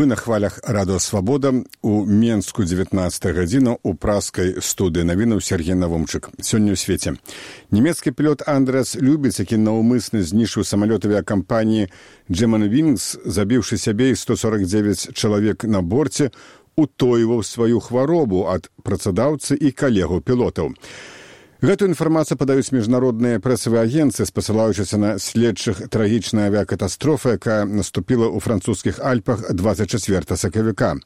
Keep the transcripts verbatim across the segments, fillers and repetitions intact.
Вы на хвалях радыё Свабода. У Менску дзевятнадцатая гадзіна у праскай студыі навінаў Сергей Навумчык. Сёння ў свеце. Нямецкі пілот Андреас Любец, які наўмысна знішчыў самалёт авіякампаніі Germanwings, забіўшы сябе і сто сорок девять чалавек на борце, утойваў сваю хваробу ад працадаўцы і калегаў пілотаў. Гэтую інфармацыю падаюць міжнародныя прэсавыя агенцыі, спасылаючыся на следчых трагічная авіякатастрофа, якая наступіла ў французскіх Альпах двадцать чацвёртага сакавіка.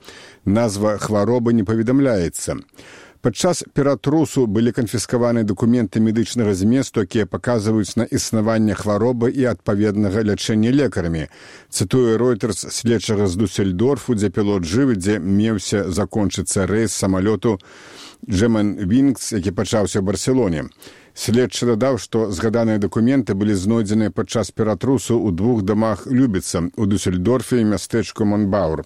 Назва хваробы не паведамляецца. Падчас ператрусу былі канфіскаваны дакументы медычнага зместу, якія паказваюць на існаванне хваробы і адпаведнага лячэння лекарамі. Цытуе Reuters следчага з Дусельдорфу, дзе пілот жывы, дзе меўся закончыцца рэйс самалёту Germanwings, які пачаўся ў Барселоне. Следчы дадаў, што згаданыя дакументы былі знойдзеныя падчас ператрусу ў двух дамах Любіца, у Дусельдорфе і мястэчку Монбаур.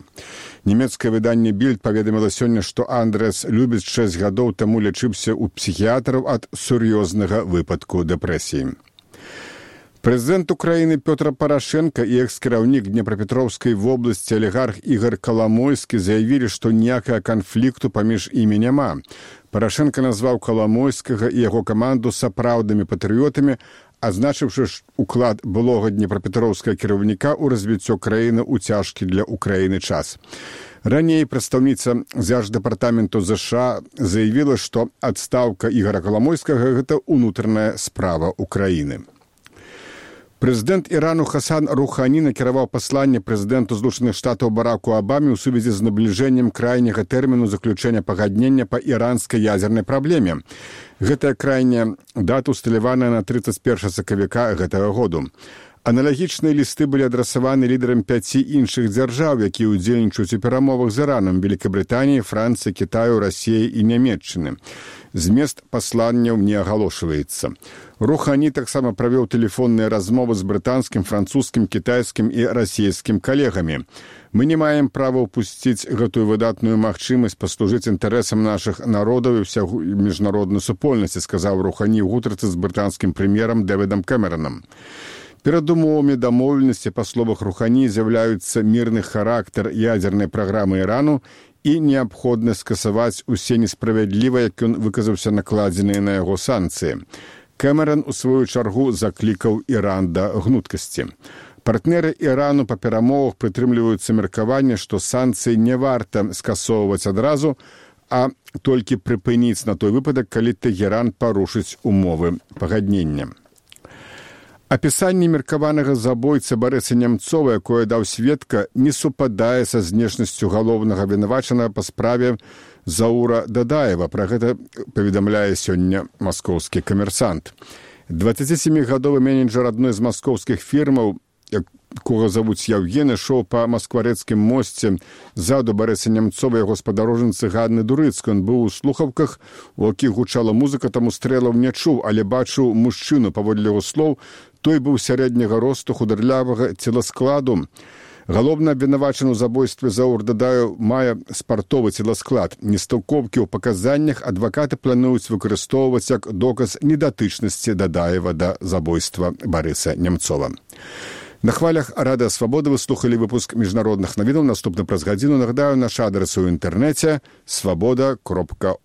Нямецкае выданне Більд паведаміла сёння, што Андреас Любіц шэсць гадоў таму лячыўся ў псіхіятраў ад сур'ёзнага выпадку дэпрэсіі. Прэзідэнт Украіны Пётр Парашенка і экс-кіраўнік Днепрапетроўскай вобласці алігарх Ігор Каламойскі заявілі, што ніякага канфлікту паміж імі няма. Парашенка назваў Каламойскага і яго каманду сапраўднымі патрыётамі, адзначыўшы уклад былога днепрапетроўскага кіраўніка ў развіццё краіны ў цяжкі для Украіны час. Раней прадстаўніца дзярждэпартаменту ЗША заявіла, што адстаўка Ігора Каламойскага – гэта ўнутраная справа Украіны. Прэзідэнт Ірану Хасан Рухані накіраваў пасланне прэзідэнту Злучаных Штатаў Бараку Абаме ў сувязі з набліжэннем крайняга тэрміну заключэння пагаднення па іранскай ядзернай праблеме. Гэтая крайняя дата усталяваная на тридцать первого сакавіка гэтага году. Аналагічныя лісты былі адрасаваны лідарам пяці іншых дзяржаў, якія ўдзельнічаюць у перамовах з Іранам: Великабрытаніі, Францыі, Кітаю, Расіі і Нямецчыны. Змест пасланняў не агалошваецца. Рухані таксама правёў тэлефонныя размовы з брытанскім, французскім, кітайскім і расійскім калегамі. Мы не маем права ўпусціць гэтую выдатную магчымасць паслужыць інтарэсам нашых народаў і ўсяго міжнароднай супольнасці, сказаў Рухані ў гутарцы з брытанскім прэм'ерам Дэвідам Кэмеранам. Перад умовамі дамоўленасці, па словах Рухані, з'яўляюцца мірны характар ядзернай праграмы Ірану і неабходна скасаваць усе несправядліва, як ён выказаўся, накладзеныя на яго санкцыі. Кэмеран, у сваю чаргу, заклікаў Іран да гнуткасці. Партнеры Ірану па перамовах прытрымліваюцца меркавання, што санкцыі не варта скасоўваць адразу, а толькі прыпыніць на той выпадак, калі Тэгеран парушыць умовы пагаднення. Апісанне меркаванага забойцы Барыса Нямцова, якое даў сведка, не супадае са знешнасцю галоўнага вінавачанага па справе Заура Дадаева. Пра гэта паведамляе сёння маскоўскі камерсант. дваццацісямігадовы менеджер адной з маскоўскіх фірмаў, якога завуць Яўген, ішоў па Маскварэцкім мосце ззаду Барыса Нямцова, яго спадарожніцы Ганны Дурыцкай. Ён быў у слухаўках, у якіх гучала музыка, таму стрэлаў не чуў, але бачыў мужчыну, паводле яго слоў. Той быў сярэдняга росту, хударлявага целаскладу. Галоўна абвінавачаны ў забойстве Заур Дадаеў мае спартовы целасклад. Нестаўкоўкі ў паказаннях адвакаты плануюць выкарыстоўваць як доказ недатычнасці Дадаева да забойства Барыса Нямцова. На хвалях Радыё Свабода вы слухалі выпуск міжнародных навінаў. Наступны праз гадзіну. Нагадаю, наш адрес у інтэрнэце свабода кропка орг.